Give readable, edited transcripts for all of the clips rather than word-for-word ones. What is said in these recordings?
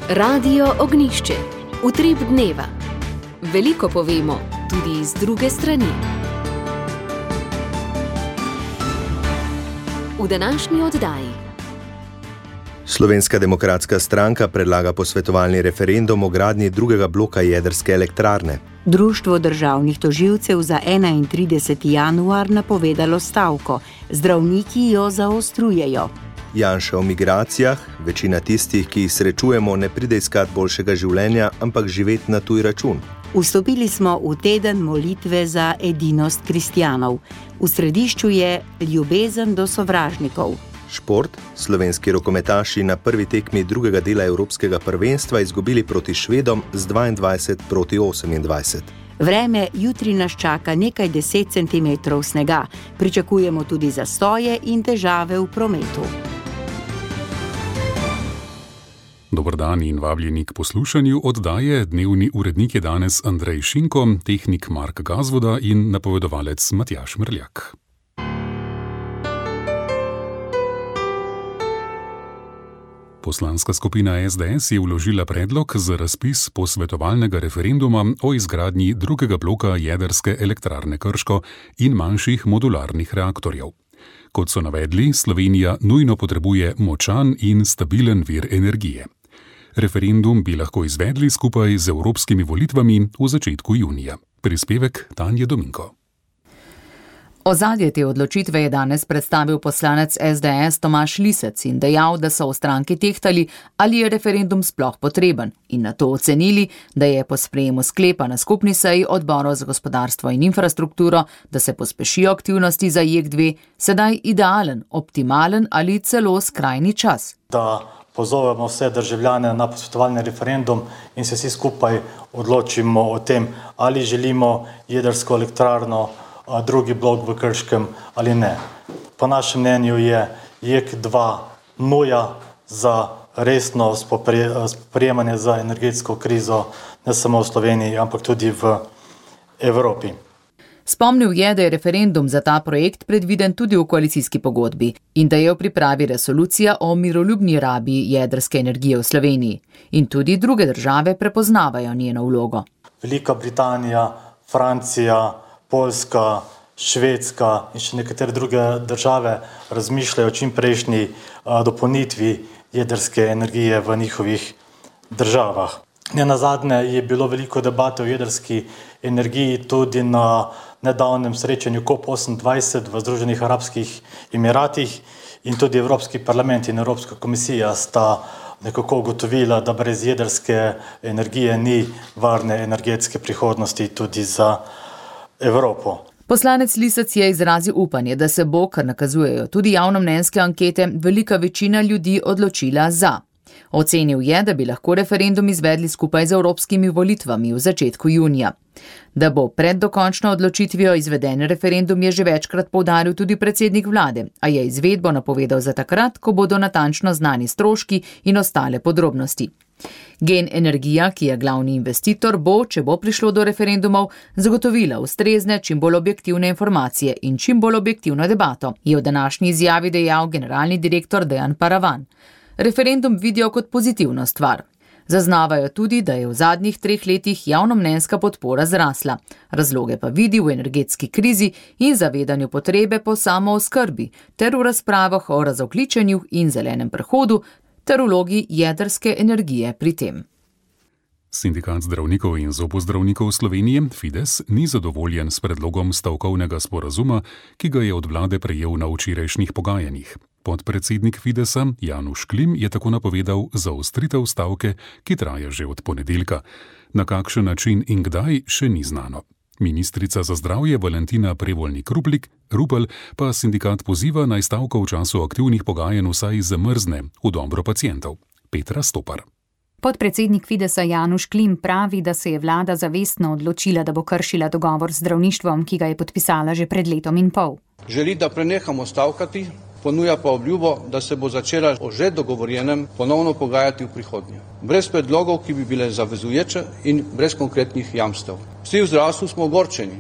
Radio Ognišče, utrip dneva. Veliko povemo, tudi z druge strani. V današnji oddaji. Slovenska demokratska stranka predlaga posvetovalni referendum o gradnji drugega bloka jedrske elektrarne. Društvo državnih tožilcev za 31. januar napovedalo stavko. Zdravniki jo zaostrujejo. Janša o migracijah. Večina tistih, ki jih srečujemo, ne pride iskat boljšega življenja, ampak živeti na tuj račun. Vstopili smo v teden molitve za edinost kristjanov. V središču je ljubezen do sovražnikov. Šport. Slovenski rokometaši na prvi tekmi drugega dela evropskega prvenstva izgubili proti Švedom z 22-28. Vreme, jutri nas čaka nekaj 10 centimetrov snega. Pričakujemo tudi zastoje in težave v prometu. Dober dan in vabljeni k poslušanju oddaje. Dnevni urednik je danes Andrej Šinko, tehnik Mark Gazvoda in napovedovalec Matjaž Mrljak. Poslanska skupina SDS je vložila predlog za razpis posvetovalnega referenduma o izgradnji drugega bloka jedrske elektrarne Krško in manjših modularnih reaktorjev. Kot so navedli, Slovenija nujno potrebuje močan in stabilen vir energije. Referendum bi lahko izvedli skupaj z evropskimi volitvami v začetku junija. Prispevek Tanje Dominko. Ozadje te odločitve je danes predstavil poslanec SDS Tomaž Lisec in dejal, da so v stranki tehtali, ali je referendum sploh potreben, in nato ocenili, da je po sprejemu sklepa na skupni seji odborov za gospodarstvo in infrastrukturo, da se pospešijo aktivnosti za JEK2, sedaj idealen, optimalen ali celo skrajni čas. Da pozovemo vse državljane na posvetovalni referendum in se vsi skupaj odločimo o tem, ali želimo jedrsko elektrarno, drugi blok v Krškem ali ne. Po našem mnenju je JEK2 nuja za resno spoprijemanje za energetsko krizo ne samo v Sloveniji, ampak tudi v Evropi. Spomnil je, da je referendum za ta projekt predviden tudi v koalicijski pogodbi in da je v pripravi resolucija o miroljubni rabi jedrske energije v Sloveniji. In tudi druge države prepoznavajo njeno vlogo. Velika Britanija, Francija, Poljska, Švedska in še nekatere druge države razmišljajo o čimprejšnji dopolnitvi jedrske energije v njihovih državah. Nenazadnje je bilo veliko debate o jedrski energiji tudi na nedavnem srečanju COP28 v Združenih arabskih emiratih in tudi Evropski parlament in Evropska komisija sta nekako ugotovila, da brez jedrske energije ni varne energetske prihodnosti tudi za Evropo. Poslanec Lisec je izrazil upanje, da se bo, kar nakazujejo tudi javnomnenjske ankete, velika večina ljudi odločila za. Ocenil je, da bi lahko referendum izvedli skupaj z evropskimi volitvami v začetku junija. Da bo pred dokončno odločitvijo izveden referendum, je že večkrat poudaril tudi predsednik vlade, a je izvedbo napovedal za takrat, ko bodo natančno znani stroški in ostale podrobnosti. Gen Energija, ki je glavni investitor, bo, če bo prišlo do referendumov, zagotovila ustrezne, čim bolj objektivne informacije in čim bolj objektivno debato, je v današnji izjavi dejal generalni direktor Dejan Paravan. Referendum vidijo kot pozitivno stvar. Zaznavajo tudi, da je v zadnjih 3 letih javnomnenjska podpora zrasla. Razloge pa vidi v energetski krizi in zavedanju potrebe po samooskrbi, ter v razpravah o razogljičenju in zelenem prehodu, ter vlogi jedrske energije pri tem. Sindikat zdravnikov in zobozdravnikov Slovenije, Fides, ni zadovoljen s predlogom stavkovnega sporazuma, ki ga je od vlade prejel na včerajšnjih pogajanjih. Podpredsednik Fidesa, Januš Klim, je tako napovedal zaostritev stavke, ki traja že od ponedeljka. Na kakšen način in kdaj še ni znano. Ministrica za zdravje Valentina Prevolnik-Rupel pa sindikat poziva, naj stavko v času aktivnih pogajanj vsaj zamrzne v dobro pacientov. Petra Stopar. Podpredsednik Fidesa Januš Klim pravi, da se je vlada zavestno odločila, da bo kršila dogovor z zdravništvom, ki ga je podpisala že pred letom in pol. Želi, da prenehamo stavkati, ponuja pa obljubo, da se bo začela o že dogovorjenem ponovno pogajati v prihodnje. Brez predlogov, ki bi bile zavezujoče in brez konkretnih jamstev. Vsi v zdravstvu smo ogorčeni.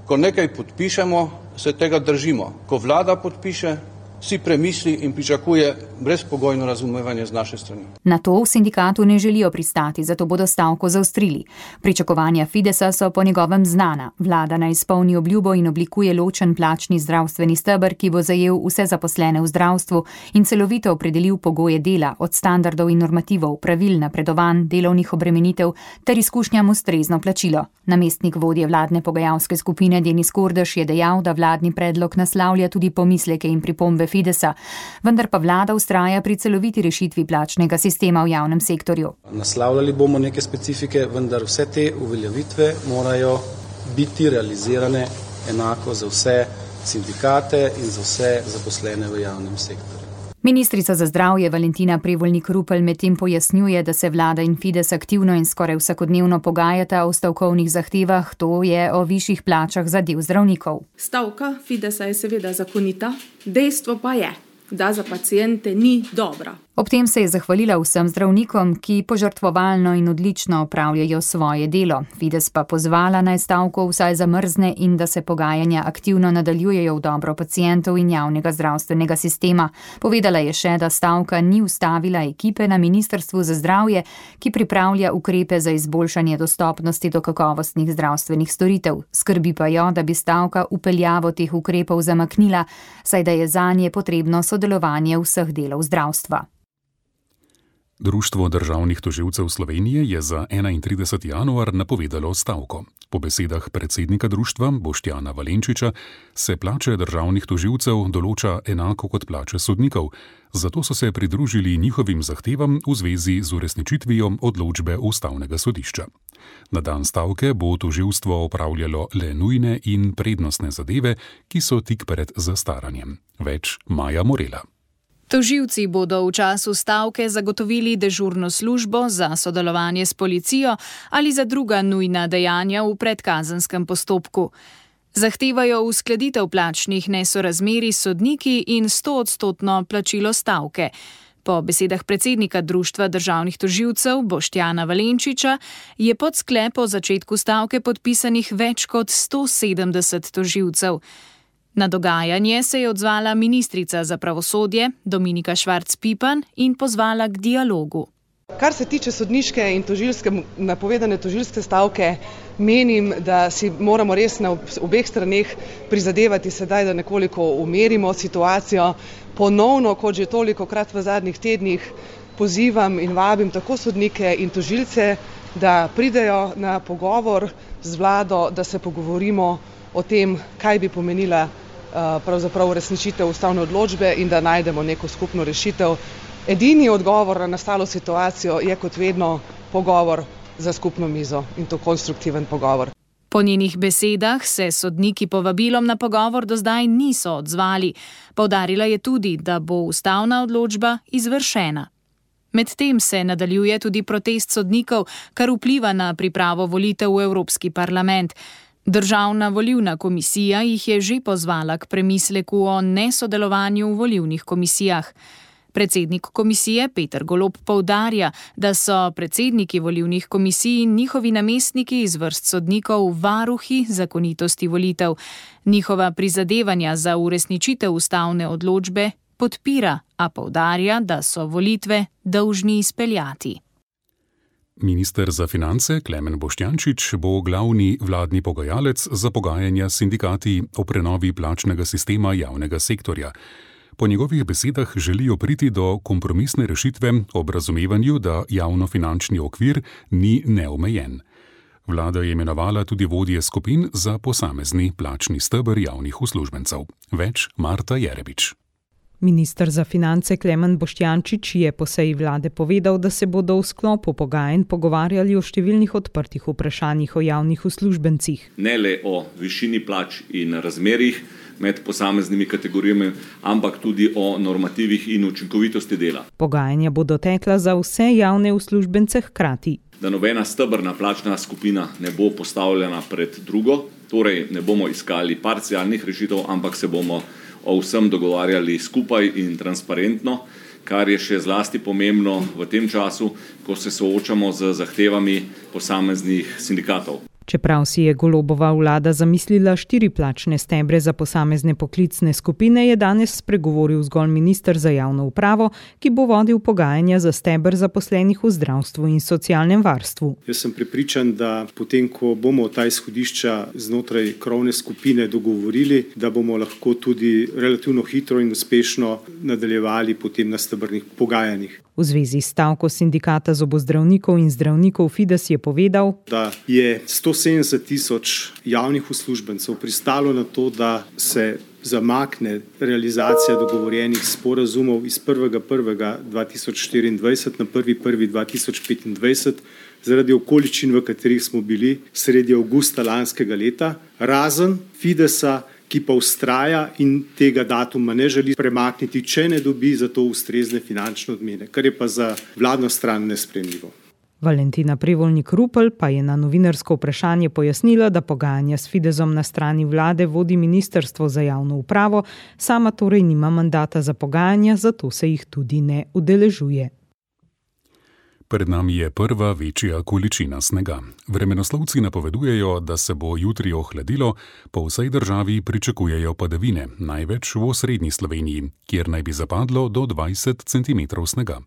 Ko nekaj podpišemo, se tega držimo. Ko vlada podpiše, si premisli in pričakuje brezpogojno razumevanje z naše strani. Na to v sindikatu ne želijo pristati, zato bodo stavko zaostrili. Pričakovanja Fidesa so po njegovem znana. Vlada naj izpolni obljubo in oblikuje ločen plačni zdravstveni steber, ki bo zajel vse zaposlene v zdravstvu in celovito opredelil pogoje dela, od standardov in normativov, pravil, napredovanj, delovnih obremenitev ter izkušnjam ustrezno plačilo. Namestnik vodje vladne pogajalske skupine Denis Kordež je dejal, da vladni predlog naslavlja tudi pomisleke in pripombe Fidesa, vendar pa vlada vztraja pri celoviti rešitvi plačnega sistema v javnem sektorju. Naslavljali bomo neke specifike, vendar vse te uveljavitve morajo biti realizirane enako za vse sindikate in za vse zaposlene v javnem sektorju. Ministrica za zdravje Valentina Prevolnik-Rupel medtem pojasnjuje, da se vlada in Fides aktivno in skoraj vsakodnevno pogajata o stavkovnih zahtevah, to je o višjih plačah za del zdravnikov. Stavka Fidesa je seveda zakonita, dejstvo pa je, da za paciente ni dobra. Ob tem se je zahvalila vsem zdravnikom, ki požrtvovalno in odlično opravljajo svoje delo. Fides pa pozvala naj stavko vsaj zamrzne in da se pogajanja aktivno nadaljujejo v dobro pacientov in javnega zdravstvenega sistema. Povedala je še, da stavka ni ustavila ekipe na Ministrstvu za zdravje, ki pripravlja ukrepe za izboljšanje dostopnosti do kakovostnih zdravstvenih storitev. Skrbi pa jo, da bi stavka vpeljavo teh ukrepov zamaknila, saj da je zanje potrebno sodelovanje vseh delov zdravstva. Društvo državnih tožilcev Slovenije je za 31. januar napovedalo stavko. Po besedah predsednika društva Boštjana Valenčiča se plače državnih tožilcev določa enako kot plače sodnikov, zato so se pridružili njihovim zahtevam v zvezi z uresničitvijo odločbe Ustavnega sodišča. Na dan stavke bo tožilstvo opravljalo le nujne in prednostne zadeve, ki so tik pred zastaranjem. Več Maja Morela. Tožilci bodo v času stavke zagotovili dežurno službo za sodelovanje s policijo ali za druga nujna dejanja v predkazenskem postopku. Zahtevajo uskladitev plačnih nesorazmerij s sodniki in 100% plačilo stavke. Po besedah predsednika Društva državnih tožilcev Boštjana Valenčiča je pod sklep o začetku stavke podpisanih več kot 170 tožilcev. Na dogajanje se je odzvala ministrica za pravosodje Dominika Švarc Pipan in pozvala k dialogu. Kar se tiče sodniške in napovedane tožilske stavke, menim, da si moramo res na obeh straneh prizadevati sedaj, da nekoliko umirimo situacijo. Ponovno, kot že tolikokrat v zadnjih tednih, pozivam in vabim tako sodnike in tožilce, da pridejo na pogovor z vlado, da se pogovorimo o tem, kaj bi pomenila pravzaprav uresničitev ustavne odločbe in da najdemo neko skupno rešitev. Edini odgovor na nastalo situacijo je kot vedno pogovor za skupno mizo in to konstruktiven pogovor. Po njenih besedah se sodniki povabilom na pogovor do zdaj niso odzvali. Poudarila je tudi, da bo ustavna odločba izvršena. Medtem se nadaljuje tudi protest sodnikov, kar vpliva na pripravo volitev v Evropski parlament. Državna volilna komisija jih je že pozvala k premisleku o nesodelovanju v volilnih komisijah. Predsednik komisije Peter Golob poudarja, da so predsedniki volilnih komisij in njihovi namestniki iz vrst sodnikov varuhi zakonitosti volitev. Njihova prizadevanja za uresničitev ustavne odločbe podpira, a poudarja, da so volitve dolžni izpeljati. Minister za finance Klemen Boštjančič bo glavni vladni pogajalec za pogajanja s sindikati o prenovi plačnega sistema javnega sektorja. Po njegovih besedah želijo priti do kompromisne rešitve ob razumevanju, da javnofinančni okvir ni neomejen. Vlada je imenovala tudi vodje skupin za posamezni plačni steber javnih uslužbencev. Več Marta Jerebič. Minister za finance Klemen Boštjančič je po seji vlade povedal, da se bodo v sklopu pogajanj pogovarjali o številnih odprtih vprašanjih o javnih uslužbencih. Ne le o višini plač in razmerjih med posameznimi kategorijami, ampak tudi o normativih in učinkovitosti dela. Pogajanja bodo tekla za vse javne uslužbence hkrati. Da nobena stebrna plačna skupina ne bo postavljena pred drugo, torej ne bomo iskali parcialnih rešitev, ampak se bomo o vsem dogovarjali skupaj in transparentno, kar je še zlasti pomembno v tem času, ko se soočamo z zahtevami posameznih sindikatov. Čeprav si je Golobova vlada zamislila 4 plačne stebre za posamezne poklicne skupine, je danes spregovoril zgolj minister za javno upravo, ki bo vodil pogajanja za steber zaposlenih v zdravstvu in socialnem varstvu. Jaz sem prepričan, da potem, ko bomo ta izhodišča znotraj krovne skupine dogovorili, da bomo lahko tudi relativno hitro in uspešno nadaljevali potem na stebrnih pogajanjih. V zvezi s stavko sindikata zobozdravnikov in zdravnikov Fides je povedal, da je 170.000 javnih uslužbencev pristalo na to, da se zamakne realizacija dogovorjenih sporazumov iz 1.1.2024 na 1.1.2025 zaradi okoliščin, v katerih smo bili sredi avgusta lanskega leta, razen Fidesa, ki pa vztraja in tega datuma ne želi premakniti, če ne dobi za to ustrezne finančne odmene, kar je pa za vladno stran nesprejemljivo. Valentina Prevolnik-Rupel pa je na novinarsko vprašanje pojasnila, da pogajanja s Fidesom na strani vlade vodi Ministrstvo za javno upravo, sama torej nima mandata za pogajanja, zato se jih tudi ne udeležuje. Pred nami je prva večja količina snega. Vremenoslovci napovedujejo, da se bo jutri ohladilo, po vsej državi pričakujejo padavine, največ v osrednji Sloveniji, kjer naj bi zapadlo do 20 cm snega.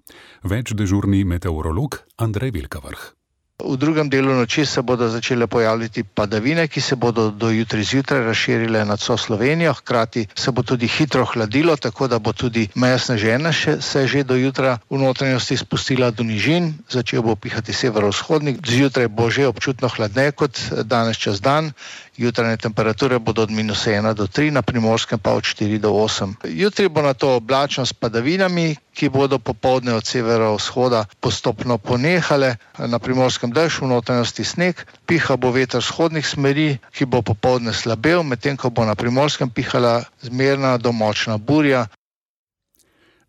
Več dežurni meteorolog Andrej Velkavrh. V drugem delu noči se bodo začele pojavljati padavine, ki se bodo do jutri zjutraj razširile nad vso Slovenijo. Hkrati se bo tudi hitro hladilo, tako da bo tudi meja sneženja se že do jutra v notranjosti spustila do nižin. Začel bo pihati severovzhodnik. Zjutraj bo že občutno hladneje kot danes čez dan. Jutranje temperature bodo od -1 do 3, na Primorskem pa od 4 do 8. Jutri bo na to oblačno s padavinami, ki bodo popoldne od severovzhoda postopno ponehale. Na Primorskem dež, v notranjosti sneg, piha bo veter vzhodnih smeri, ki bo popoldne slabel, medtem ko bo na Primorskem pihala zmerna do močna burja.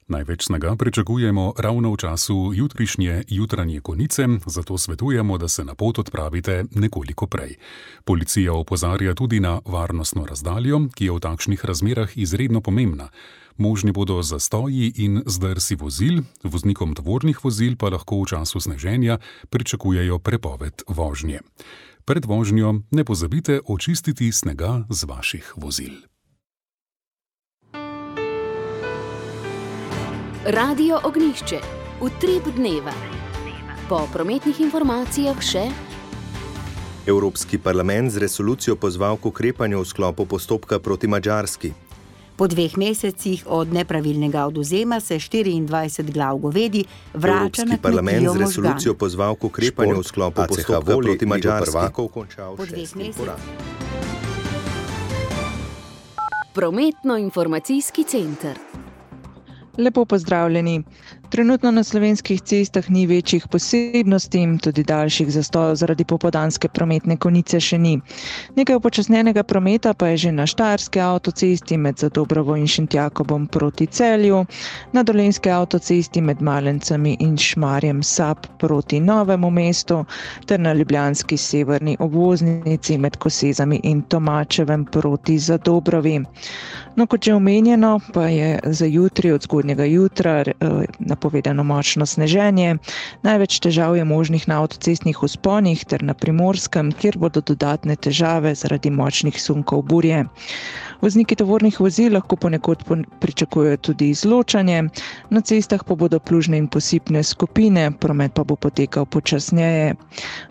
Največ snega pričakujemo ravno v času jutrišnje jutranje konice, zato svetujemo, da se na pot odpravite nekoliko prej. Policija opozarja tudi na varnostno razdaljo, ki je v takšnih razmerah izredno pomembna. Možni bodo zastoji in zdrsi vozil, voznikom tovornih vozil pa lahko v času sneženja pričakujejo prepoved vožnje. Pred vožnjo ne pozabite očistiti snega z vaših vozil. Radio Ognjišče, utrip dneva. Po prometnih informacijah še. Evropski parlament z resolucijo pozval k ukrepanju v sklopu postopka proti Madžarski. Po 2 mesecih od nepravilnega odvzema se 24 glav govedi vrača na kmetijo Možgan. Evropski parlament z resolucijo pozval k ukrepanju v sklopu postopka proti Madžarski. Po 2 mesecih. Prometno-informacijski center. Lepo pozdravljeni. Trenutno na slovenskih cestah ni večjih posebnosti, tudi daljših zastojev zaradi popoldanske prometne konice še ni. Nekaj upočasnjenega prometa pa je že na Štajerski avtocesti med Zadobrovo in Šentjakobom proti Celju, na Dolenjski avtocesti med Malencami in Šmarjem Sab proti Novemu mestu ter na ljubljanski severni obvoznici med Kosezami in Tomačevem proti Zadobrovi. No, kot že omenjeno, pa je za jutri od zgodnjega jutra napovedano močno sneženje. Največ težav je možnih na avtocestnih vzponih ter na Primorskem, kjer bodo dodatne težave zaradi močnih sunkov burje. Vozniki tovornih vozil lahko ponekod pričakujejo tudi izločanje, na cestah pa bodo plužne in posipne skupine, promet pa bo potekal počasneje.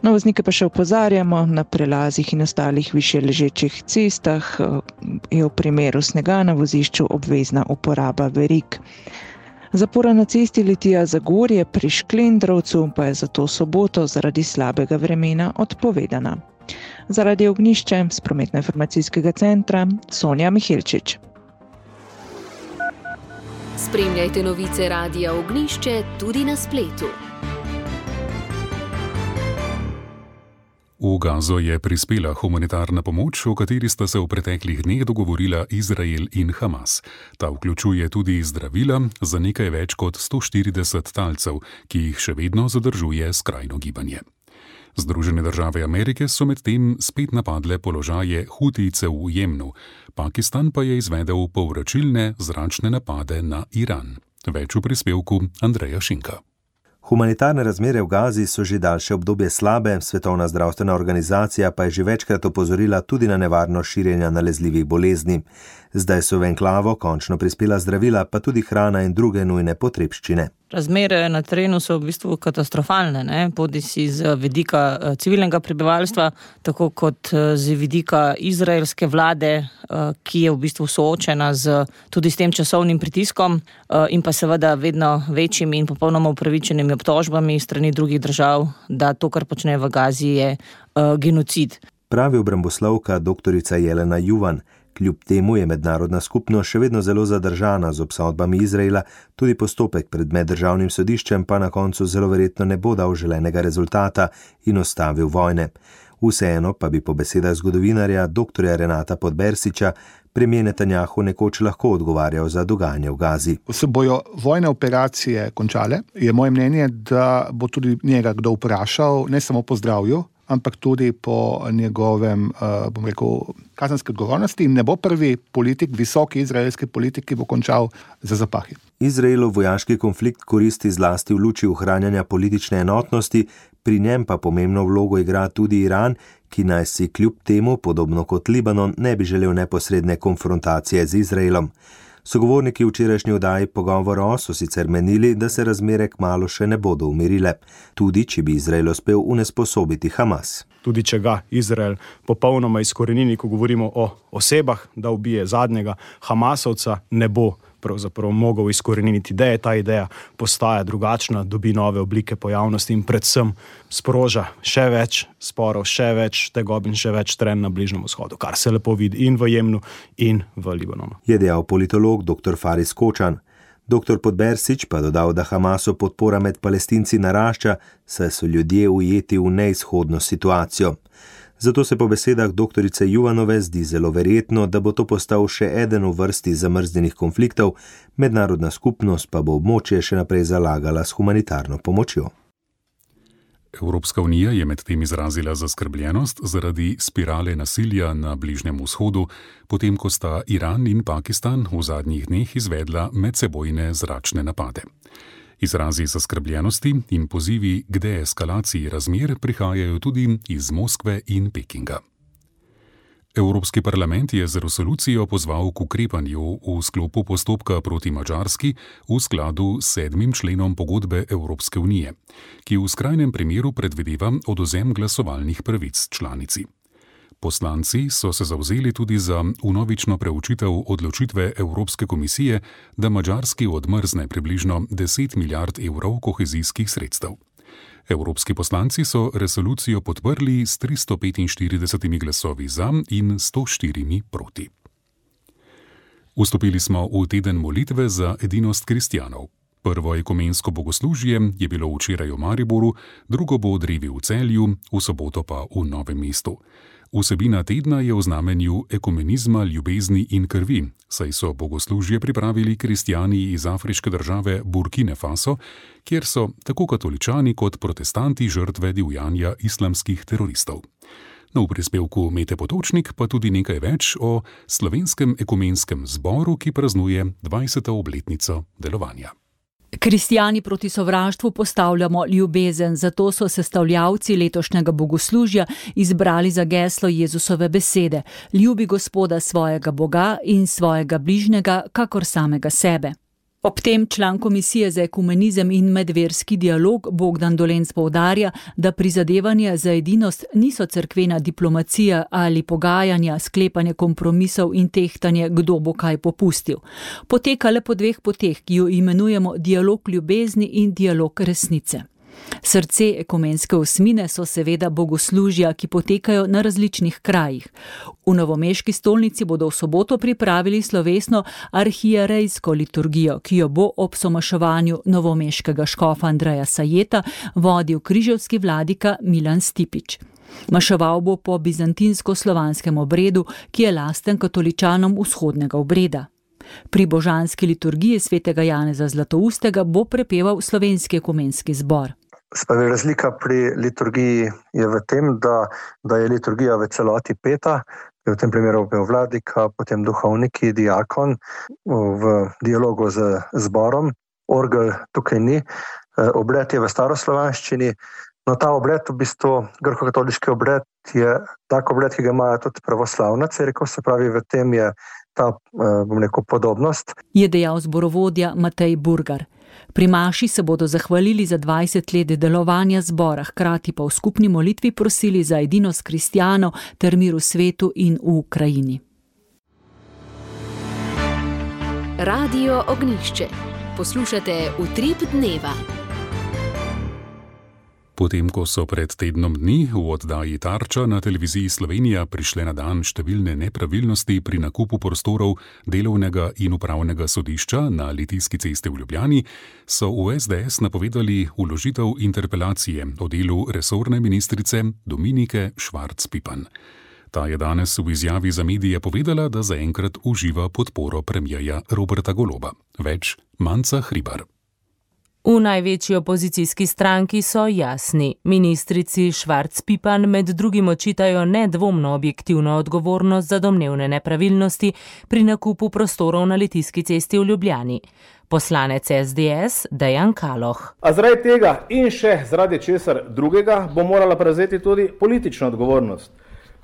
No, voznike pa še opozarjamo, na prelazih in ostalih višje ležečih cestah je v primeru snega na vozišču obvezna uporaba verig. Zapora na cesti Litija-Zagorje pri Šklendrovcu pa je zato soboto zaradi slabega vremena odpovedana. Zaradi Ognjišče z prometno-informacijskega centra Sonja Mihelčič. Spremljajte novice Radia Ognjišče tudi na spletu. V Gazo je prispela humanitarna pomoč, o kateri sta se v preteklih dneh dogovorila Izrael in Hamas. Ta vključuje tudi zdravila za nekaj več kot 140 talcev, ki jih še vedno zadržuje skrajno gibanje. Združene države Amerike so medtem spet napadle položaje Hutijcev v Jemnu. Pakistan pa je izvedel povračilne zračne napade na Iran. Več v prispevku Andreja Šinka. Humanitarne razmere v Gazi so že daljše obdobje slabe, Svetovna zdravstvena organizacija pa je že večkrat opozorila tudi na nevarnost širjenja nalezljivih bolezni. Zdaj so v enklavo končno prispela zdravila, pa tudi hrana in druge nujne potrebščine. Razmere na terenu so v bistvu katastrofalne, bodisi z vidika civilnega prebivalstva, tako kot z vidika izraelske vlade, ki je v bistvu soočena tudi s tem časovnim pritiskom in pa seveda vedno večjimi in popolnoma upravičenimi obtožbami strani drugih držav, da to, kar počne v Gazi, je genocid. Pravi obramboslovka doktorica Jelena Juvan. Kljub temu je mednarodna skupnost še vedno zelo zadržana z obsodbami Izraela, tudi postopek pred meddržavnim sodiščem pa na koncu zelo verjetno ne bo dal želenega rezultata in ostavil vojne. Vseeno pa bi po besedah zgodovinarja dr. Renata Podbersiča premijer Netanjahu nekoč lahko odgovarjal za dogajanje v Gazi. Ko se bojo vojne operacije končale, je moje mnenje, da bo tudi njega kdo vprašal, ne samo po zdravju, ampak tudi po njegovem, kazenski odgovornosti in ne bo prvi politik, visoki izraelski politik, ki bo končal za zapahi. Izraelov vojaški konflikt koristi zlasti v luči ohranjanja politične enotnosti, pri njem pa pomembno vlogo igra tudi Iran, ki naj si kljub temu, podobno kot Libanon, ne bi želel neposredne konfrontacije z Izraelom. Sogovorniki včerajšnji oddaji Pogovora so sicer menili, da se razmere kmalu še ne bodo umirile, tudi če bi Izrael uspel unesposobiti Hamas. Tudi če ga Izrael popolnoma izkorenini, ko govorimo o osebah, da ubije zadnjega Hamasovca, ne bo pravzaprav mogel izkoreniniti ideje. Ta ideja postaja drugačna, dobi nove oblike pojavnosti in predvsem sproža še več sporov, še več tegob in še več trenj na Bližnjem vzhodu, kar se lepo vidi in v Jemnu in v Libanonu. Je dejal politolog dr. Faris Kočan. Dr. Podbersič pa dodal, da Hamasu podpora med Palestinci narašča, saj so ljudje ujeti v neizhodno situacijo. Zato se po besedah doktorice Juvanove zdi zelo verjetno, da bo to postal še eden v vrsti zamrznjenih konfliktov, mednarodna skupnost pa bo območje še naprej zalagala s humanitarno pomočjo. Evropska unija je medtem izrazila zaskrbljenost zaradi spirale nasilja na Bližnjem vzhodu, potem ko sta Iran in Pakistan v zadnjih dneh izvedla medsebojne zračne napade. Izrazi zaskrbljenosti in pozivi k deeskalaciji razmer prihajajo tudi iz Moskve in Pekinga. Evropski parlament je z resolucijo pozval k ukrepanju v sklopu postopka proti Madžarski v skladu s 7. členom pogodbe Evropske unije, ki v skrajnem primeru predvideva odvzem glasovalnih pravic članici. Poslanci so se zavzeli tudi za vnovično preučitev odločitve Evropske komisije, da Madžarski odmrzne približno 10 milijard evrov kohezijskih sredstev. Evropski poslanci so resolucijo podprli s 345 glasovi za in 104 proti. Vstopili smo v teden molitve za edinost kristjanov. Prvo ekumensko bogoslužje je bilo včeraj v Mariboru, drugo bo v Drevi v Celju, v soboto pa v Novem mestu. Vsebina tedna je v znamenju ekumenizma, ljubezni in krvi, saj so bogoslužje pripravili kristjani iz afriške države Burkine Faso, kjer so tako katoličani kot protestanti žrtve divjanja islamskih teroristov. V prispevku Mete Potočnik pa tudi nekaj več o slovenskem ekumenskem zboru, ki praznuje 20. obletnico delovanja. Kristjani proti sovraštvu postavljamo ljubezen, zato so sestavljavci letošnjega bogoslužja izbrali za geslo Jezusove besede: ljubi Gospoda svojega Boga in svojega bližnjega, kakor samega sebe. Ob tem član Komisije za ekumenizem in medverski dialog Bogdan Dolenc poudarja, da prizadevanja za edinost niso cerkvena diplomacija ali pogajanja, sklepanje kompromisov in tehtanje, kdo bo kaj popustil. Poteka le po dveh poteh, ki jo imenujemo dialog ljubezni in dialog resnice. Srce ekumenske osmine so seveda bogoslužja, ki potekajo na različnih krajih. V novomeški stolnici bodo v soboto pripravili slovesno arhierejsko liturgijo, ki jo bo ob somaševanju novomeškega škofa Andreja Sajeta vodil križevski vladika Milan Stipič. Maševal bo po bizantinsko-slovanskem obredu, ki je lasten katoličanom vzhodnega obreda. Pri božanski liturgiji svetega Janeza Zlatoustega bo prepeval slovenski ekumenski zbor. Razlika pri liturgiji je v tem, da je liturgija v celoti peta, v tem primeru pel vladika, potem duhovniki, diakon v dialogu z zborom. orgel tukaj ni. Obred je v staroslovanščini. No, ta obred, v bistvu grško-katoliški obred, je tak obred, ki ga imajo tudi pravoslavna cerkev, se pravi, v tem je ta, podobnost. Je dejal zborovodja Matej Burgar. Pri maši se bodo zahvalili za 20 let delovanja zbora, hkrati pa v skupni molitvi prosili za edinost kristjanov ter mir v svetu in v Ukrajini. Radio Ognjišče. Poslušate Utrip dneva. Potem, ko so pred tednom dni v oddaji Tarča na televiziji Slovenija prišle na dan številne nepravilnosti pri nakupu prostorov delovnega in upravnega sodišča na Litijski cesti v Ljubljani, so v SDS napovedali vložitev interpelacije o delu resorne ministrice Dominike Švarc Pipan. Ta je danes v izjavi za medije povedala, da zaenkrat uživa podporo premierja Roberta Goloba. Več Manca Hribar. V največji opozicijski stranki so jasni. Ministrici Švarc Pipan med drugim očitajo nedvomno objektivno odgovornost za domnevne nepravilnosti pri nakupu prostorov na Litijski cesti v Ljubljani. Poslanec SDS Dejan Kaloh. A zaradi tega in še zaradi česar drugega bo morala prevzeti tudi politično odgovornost.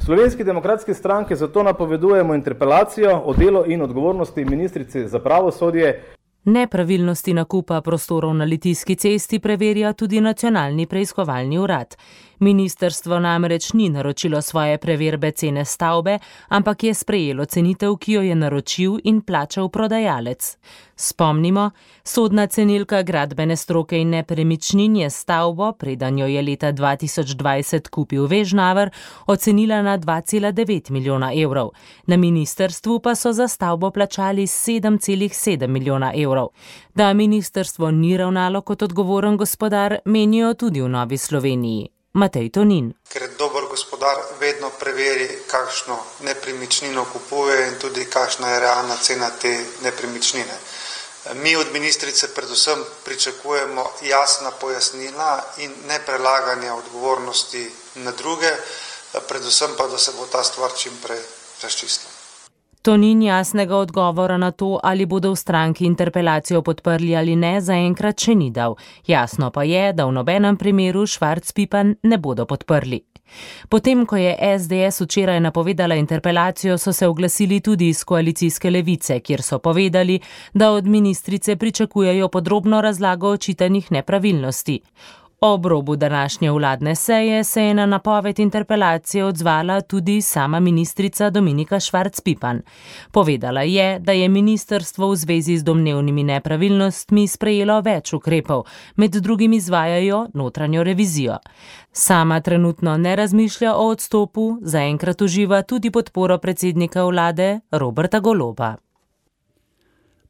Slovenski demokratski stranki zato napovedujemo interpelacijo o delu in odgovornosti ministrice za pravosodje. Nepravilnosti nakupa prostorov na Litijski cesti preverja tudi Nacionalni preiskovalni urad. Ministrstvo namreč ni naročilo svoje preverbe cene stavbe, ampak je sprejelo cenitev, ki jo je naročil in plačal prodajalec. Spomnimo, sodna cenilka gradbene stroke in nepremičnin je stavbo, preden jo je leta 2020 kupil Vežnaver, ocenila na 2,9 milijona evrov. Na ministrstvu pa so za stavbo plačali 7,7 milijona evrov. Da ministrstvo ni ravnalo kot odgovoren gospodar, menijo tudi v Novi Sloveniji. Matej Tonin. Ker dober gospodar vedno preveri, kakšno nepremičnino kupuje in tudi kakšna je realna cena te nepremičnine. Mi od ministrice predvsem pričakujemo jasna pojasnila in ne prelaganje odgovornosti na druge, predvsem pa, da se bo ta stvar čim prej razčistila. Tonin jasnega odgovora na to, ali bodo v stranki interpelacijo podprli ali ne, zaenkrat še ni dal. Jasno pa je, da v nobenem primeru Švarc Pipan ne bodo podprli. Potem, ko je SDS včeraj napovedala interpelacijo, so se oglasili tudi iz koalicijske Levice, kjer so povedali, da od ministrice pričakujejo podrobno razlago očitanih nepravilnosti. Ob robu današnje vladne seje se je na napoved interpelacije odzvala tudi sama ministrica Dominika Švarc Pipan. Povedala je, da je ministrstvo v zvezi z domnevnimi nepravilnostmi sprejelo več ukrepov, med drugim izvajajo notranjo revizijo. Sama trenutno ne razmišlja o odstopu, zaenkrat uživa tudi podporo predsednika vlade Roberta Goloba.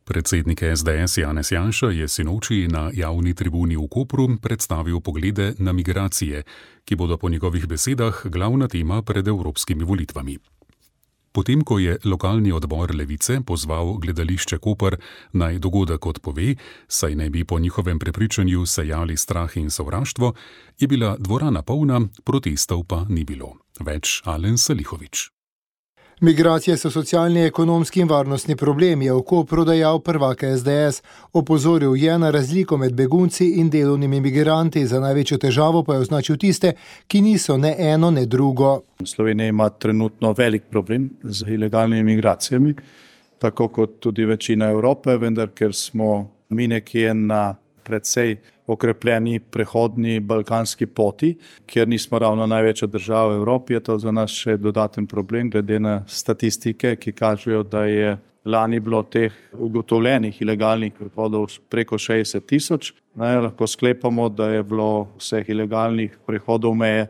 Predsednik SDS Janez Janša je sinoči na javni tribuni v Kopru predstavil poglede na migracije, ki bodo po njegovih besedah glavna tema pred evropskimi volitvami. Potem, ko je lokalni odbor Levice pozval gledališče Koper naj dogodek odpove, saj ne bi po njihovem prepričanju sejali strah in sovraštvo, je bila dvorana polna, protestov pa ni bilo. Več Alen Salihovič. Migracije so socialni, ekonomski in varnostni problem, je v Kopru dejal prvak SDS. Opozoril je na razliko med begunci in delovnimi migranti, za največjo težavo pa je označil tiste, ki niso ne eno, ne drugo. Slovenija ima trenutno velik problem z ilegalnimi migracijami, tako kot tudi večina Evrope, vendar ker smo mi nekje na precej okrepljeni prehodni balkanski poti, kjer nismo ravno največja država v Evropi, je to za nas še dodaten problem, glede na statistike, ki kažejo, da je lani bilo teh ugotovljenih ilegalnih prehodov preko 60 000. Lahko sklepamo, da je bilo vseh ilegalnih prehodov meje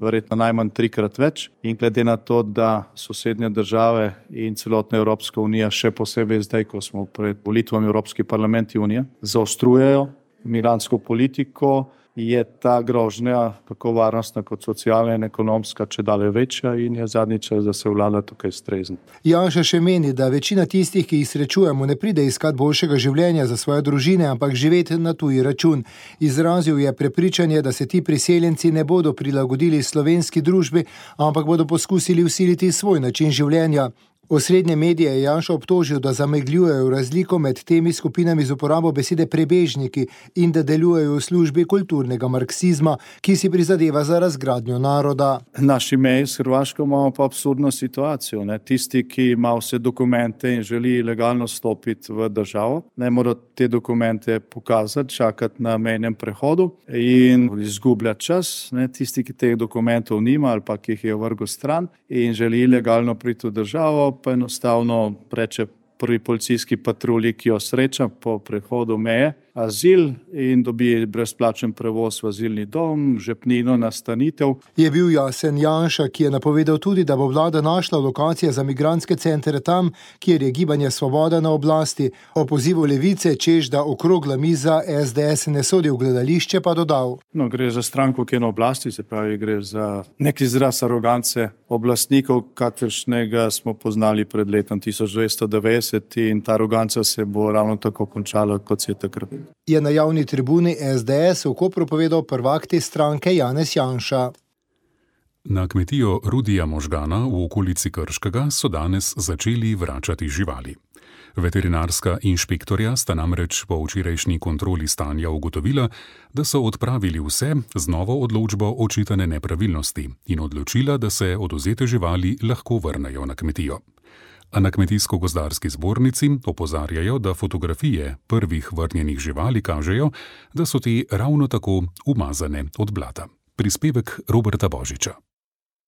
verjetno najmanj 3-krat več. In glede na to, da sosednje države in celotna Evropska unija, še posebej zdaj, ko smo pred volitvami Evropski parlament junija, zaostrujejo migrantsko politiko, je ta grožnja, tako varnostna kot socialna in ekonomska, čedalje večja in je zadnji čas, da se vlada tukaj strezni. Janša še meni, da večina tistih, ki jih srečujemo, ne pride iskat boljšega življenja za svoje družine, ampak živeti na tuji račun. Izrazil je prepričanje, da se ti priseljenci ne bodo prilagodili slovenski družbi, ampak bodo poskusili vsiliti svoj način življenja. Osrednje medije je Janša obtožil, da zamegljujejo razliko med temi skupinami z uporabo besede prebežniki in da delujejo v službi kulturnega marksizma, ki si prizadeva za razgradnjo naroda. Naši meji s Hrvaško imamo pa absurdno situacijo. Tisti, ki ima vse dokumente in želi legalno stopiti v državo, ne mora te dokumente pokazati, čakati na mejnem prehodu in izgubljati čas. Tisti, ki teh dokumentov nima ali pa ki jih je vrgel stran in želi legalno priti v državo, pa enostavno reče prvi policijski patrulji, ki jo sreča po prehodu meje, azil in dobi brezplačen prevoz v azilni dom, žepnino, nastanitev. Je bil jasen Janša, ki je napovedal tudi, da bo vlada našla lokacije za migrantske centre tam, kjer je Gibanje Svoboda na oblasti. O pozivu Levice, češ da okrogla miza SDS ne sodi v gledališče, pa dodal. Gre za stranko, ki je na oblasti, se pravi, gre za nek izraz arogance oblastnikov, kakršnega smo poznali pred letom 1990 in ta aroganca se bo ravno tako končala, kot se je takrat. Je na javni tribuni SDS v Kopru povedal prvak te stranke Janez Janša. Na kmetijo Rudija Možgana v okolici Krškega so danes začeli vračati živali. Veterinarska inšpektorja sta namreč po včerajšnji kontroli stanja ugotovila, da so odpravili vse z novo odločbo očitane nepravilnosti in odločila, da se odvzete živali lahko vrnejo na kmetijo. A na Kmetijsko-gozdarski zbornici opozarjajo, da fotografije prvih vrnjenih živali kažejo, da so te ravno tako umazane od blata. Prispevek Roberta Božiča.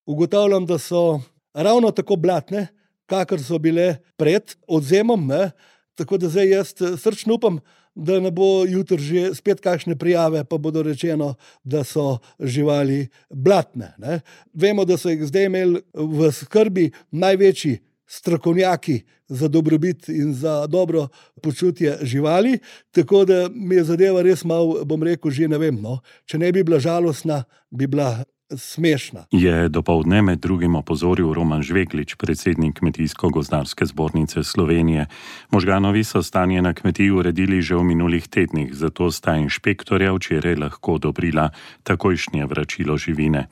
Ugotavljam, da so ravno tako blatne, kakor so bile pred odvzemom, tako da zdaj jaz srčno upam, da ne bo jutri že spet kakšne prijave, pa bodo rečeno, da so živali blatne. Vemo, da so jih zdaj imeli v skrbi največji strokovnjaki za dobrobit in za dobro počutje živali, tako da mi je zadeva res malo, bom rekel, že ne vem, če ne bi bila žalostna, bi bila smešna. Je dopoldne med drugim opozoril Roman Žveglič, predsednik Kmetijsko-gozdarske zbornice Slovenije. Možganovi so stanje na kmetiji uredili že v minulih tednih, zato sta inšpektorja včeraj lahko odobrila takojšnje vračilo živine.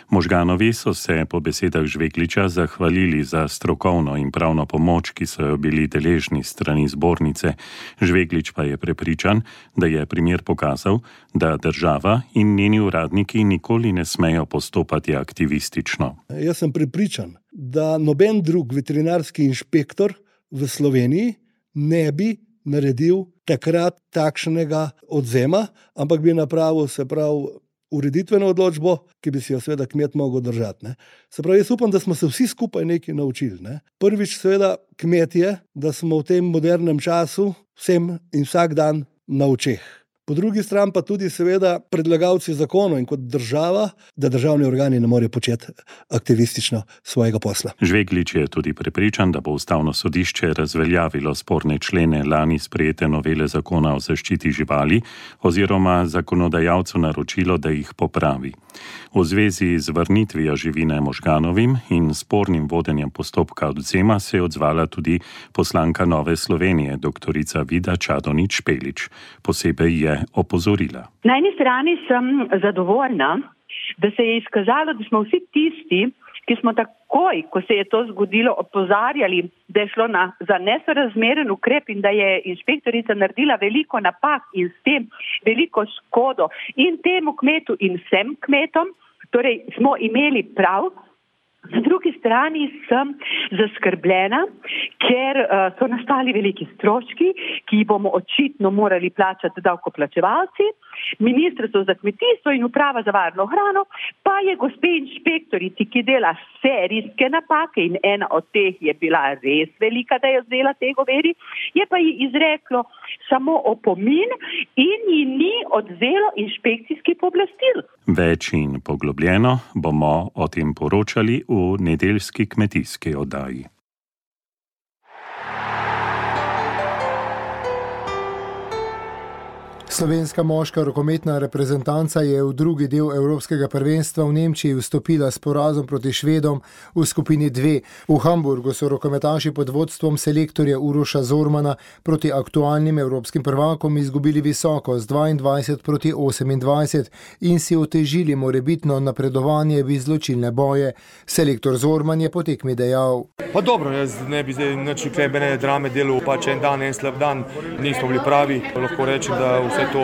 Možganovi so se po besedah Žvegliča zahvalili za strokovno in pravno pomoč, ki so jo bili deležni strani zbornice. Žveglič pa je prepričan, da je primer pokazal, da država in njeni uradniki nikoli ne smejo postopati aktivistično. Jaz sem prepričan, da noben drug veterinarski inšpektor v Sloveniji ne bi naredil takrat takšnega odvzema, ampak bi napravil, se pravi, ureditveno odločbo, ki bi si jo seveda kmet mogel držati. Se pravi, jaz upam, da smo se vsi skupaj nekaj naučili. Prvič seveda kmetje, da smo v tem modernem času vsem in vsak dan na očeh. Po drugi strani pa tudi seveda predlagalci zakonov in kot država, da državni organi ne morejo početi aktivistično svojega posla. Žveglič je tudi prepričan, da bo Ustavno sodišče razveljavilo sporne člene lani sprejete novele zakona o zaščiti živali oziroma zakonodajalcu naročilo, da jih popravi. V zvezi z vrnitvijo živine Možganovim in spornim vodenjem postopka odvzema se je odzvala tudi poslanka Nove Slovenije, doktorica Vida Čadonič Špelič. Posebej je opozorila. Na eni strani sem zadovoljna, da se je izkazalo, da smo vsi tisti, ki smo takoj, ko se je to zgodilo, opozarjali, da je šlo za nesorazmeren ukrep in da je inšpektorica naredila veliko napak in s tem veliko škodo in temu kmetu in vsem kmetom, torej smo imeli prav. Na drugi strani sem zaskrbljena, ker so nastali veliki stroški, ki jih bomo očitno morali plačati davkoplačevalci. Ministrstvo za kmetijstvo in uprava za varno hrano pa je gospe inšpektorici, ki dela serijske napake in ena od teh je bila res velika, da je vzela te govedi, je pa ji izreklo samo opomin in ji ni odvzelo inšpekcijski pooblastil. Več in poglobljeno bomo o tem poročali v nedeljski kmetijski oddaji. Slovenska moška rokometna reprezentanca je v drugi del Evropskega prvenstva v Nemčiji vstopila s porazom proti Švedom v skupini 2. V Hamburgu so rokometaši pod vodstvom selektorja Uroša Zormana proti aktualnim evropskim prvakom izgubili visoko z 22 proti 28 in si otežili morebitno napredovanje v izločilne boje. Selektor Zorman je po tekmi dejal: Pa dobro, jaz ne bi zdaj nič klebene drame delal, pač en dan, en slab dan, nismo bili pravi. Lahko rečem, da vse to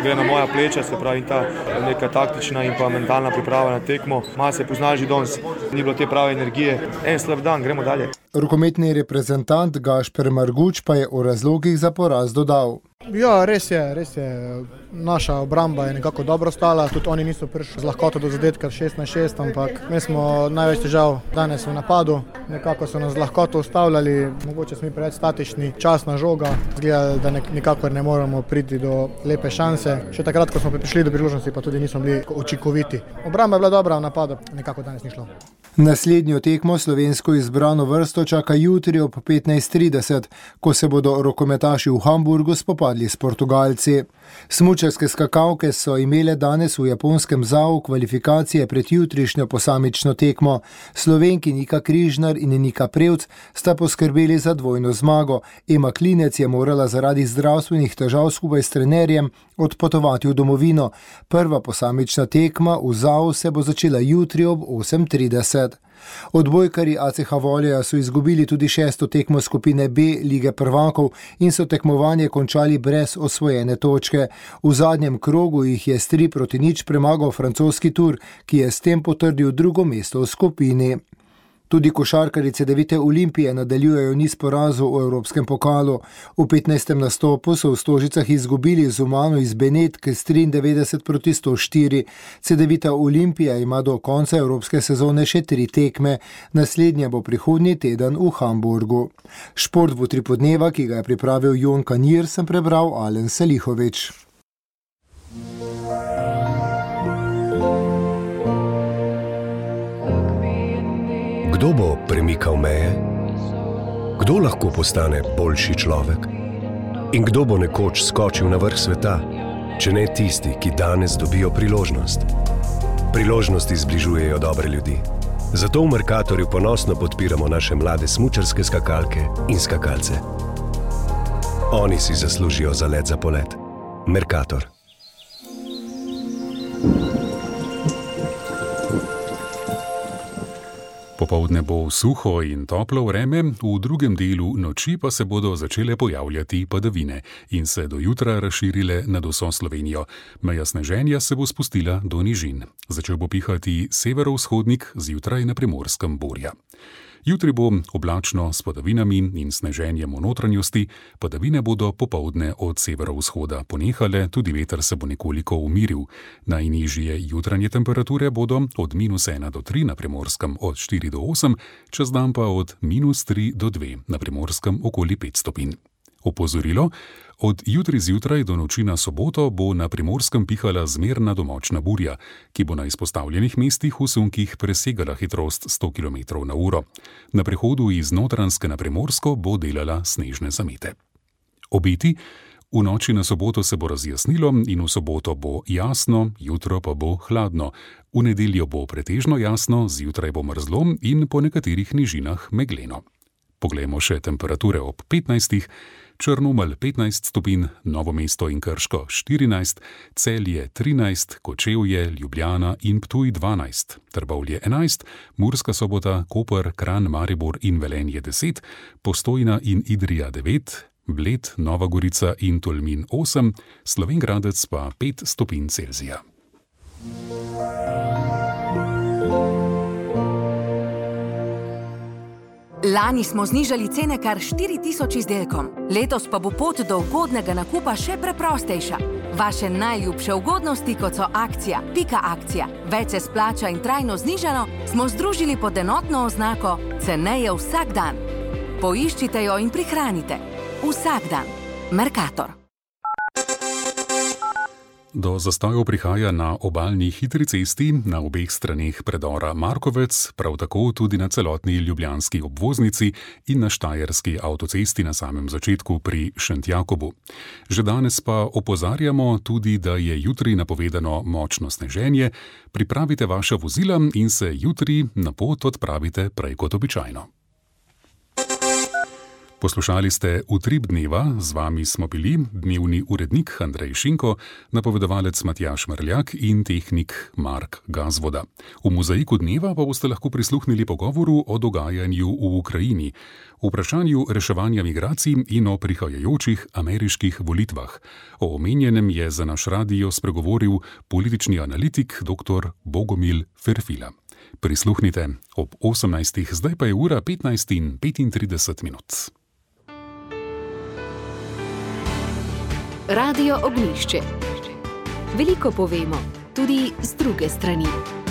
gre na moja pleča, se pravi ta neka taktična in pa mentalna priprava na tekmo. Malo se pozna že danes, ni bilo te prave energije. En slab dan, gremo dalje. Rokometni reprezentant Gašper Marguč pa je o razlogih za poraz dodal: Ja, res je. Naša obramba je nekako dobro stala, tudi oni niso prišli z lahkoto do zadetka 6-6, ampak mi smo največ težav danes v napadu. Nekako so nas z lahkoto ustavljali, mogoče smo preveč statični, časna žoga, zgleda, da nikakor ne moremo priti do lepe šanse. Še takrat, ko smo prišli do priložnosti, pa tudi nismo bili učinkoviti. Obramba je bila dobra, v napadu nekako danes ni šlo. Naslednjo tekmo slovensko izbrano vrsto čaka jutri ob 15:30, ko se bodo rokometaši v Hamburgu spopadli s Portugalci. Smučarske skakalke so imele danes v japonskem ZAO kvalifikacije pred jutrišnjo posamično tekmo. Slovenki Nika Križnar in Nika Prevc sta poskrbeli za dvojno zmago. Ema Klinec je morala zaradi zdravstvenih težav skupaj s trenerjem odpotovati v domovino. Prva posamična tekma v ZAO se bo začela jutri ob 8:30. Odbojkarji ACH Volja so izgubili tudi 6. tekmo skupine B Lige prvakov in so tekmovanje končali brez osvojene točke. V zadnjem krogu jih je s 3-0 premagal francoski Tour, ki je s tem potrdil drugo mesto v skupini. Tudi košarkarice Cedevite Olimpije nadaljujejo niz porazov v Evropskem pokalu. V 15. nastopu so v Stožicah izgubili z Umano iz Benetke s 93-104. Cedevita Olimpija ima do konca evropske sezone še 3 tekme. Naslednja bo prihodnji teden v Hamburgu. Šport v utripu dneva, ki ga je pripravil Jon Kanir, sem prebral Alen Selihovič. Kdo bo premikal meje? Kdo lahko postane boljši človek? In kdo bo nekoč skočil na vrh sveta, če ne tisti, ki danes dobijo priložnost? Priložnosti zbližujejo dobre ljudi. Zato v Mercatorju ponosno podpiramo naše mlade smučarske skakalke in skakalce. Oni si zaslužijo zalet za polet. Mercator. Popoldne bo suho in toplo vreme, v drugem delu noči pa se bodo začele pojavljati padavine in se do jutra razširile nad vso Slovenijo. Meja sneženja se bo spustila do nižin. Začel bo pihati severovzhodnik, zjutraj na Primorskem burja. Jutri bo oblačno s padavinami in sneženjem v notranjosti, padavine bodo popoldne od severovzhoda ponehale, tudi veter se bo nekoliko umiril. Najnižje jutranje temperature bodo od -1 do 3 na Primorskem od 4 do 8, čez dan pa od -3 do 2 na Primorskem okoli 5 stopinj. Opozorilo: od jutri zjutraj do noči na soboto bo na Primorskem pihala zmerna do močna burja, ki bo na izpostavljenih mestih v sunkih presegala hitrost 100 km/h. Na prehodu iz Notranjske na Primorsko bo delala snežne zamete. Obeti: v noči na soboto se bo razjasnilo in v soboto bo jasno, jutro pa bo hladno. V nedeljo bo pretežno jasno, zjutraj bo mrzlo in po nekaterih nižinah megleno. Poglejmo še temperature ob 15. Črnomelj 15 stopinj, Novo mesto in Krško 14, Celje 13, Kočevje, Ljubljana in Ptuj 12, Trbovlje 11, Murska Sobota, Koper, Kranj, Maribor in Velenje 10, Postojna in Idrija 9, Bled, Nova Gorica in Tolmin 8, Slovenj Gradec pa 5 stopinj Celzija. Lani smo znižali cene kar 4000 izdelkom, letos pa bo pot do ugodnega nakupa še preprostejša. Vaše najljubše ugodnosti, kot so akcija, pika akcija, več se splača in trajno znižano, smo združili pod enotno oznako ceneje vsak dan. Poiščite jo in prihranite. Vsak dan. Mercator. Do zastojev prihaja na obalni hitri cesti na obeh straneh predora Markovec, prav tako tudi na celotni ljubljanski obvoznici in na štajerski avtocesti na samem začetku pri Šentjakobu. Že danes pa opozarjamo tudi, da je jutri napovedano močno sneženje. Pripravite vaša vozila in se jutri na pot odpravite prej kot običajno. Poslušali ste Utrip dneva, z vami smo bili dnevni urednik Andrej Šinko, napovedovalec Matjaž Mrljak in tehnik Mark Gazvoda. V mozaiku dneva pa boste lahko prisluhnili pogovoru o dogajanju v Ukrajini, vprašanju reševanja migracij in o prihajajočih ameriških volitvah. O omenjenem je za naš radio spregovoril politični analitik dr. Bogomil Ferfila. Prisluhnite ob 18. Zdaj pa je ura 15:35. Radio Ognjišče. Veliko povemo, tudi z druge strani.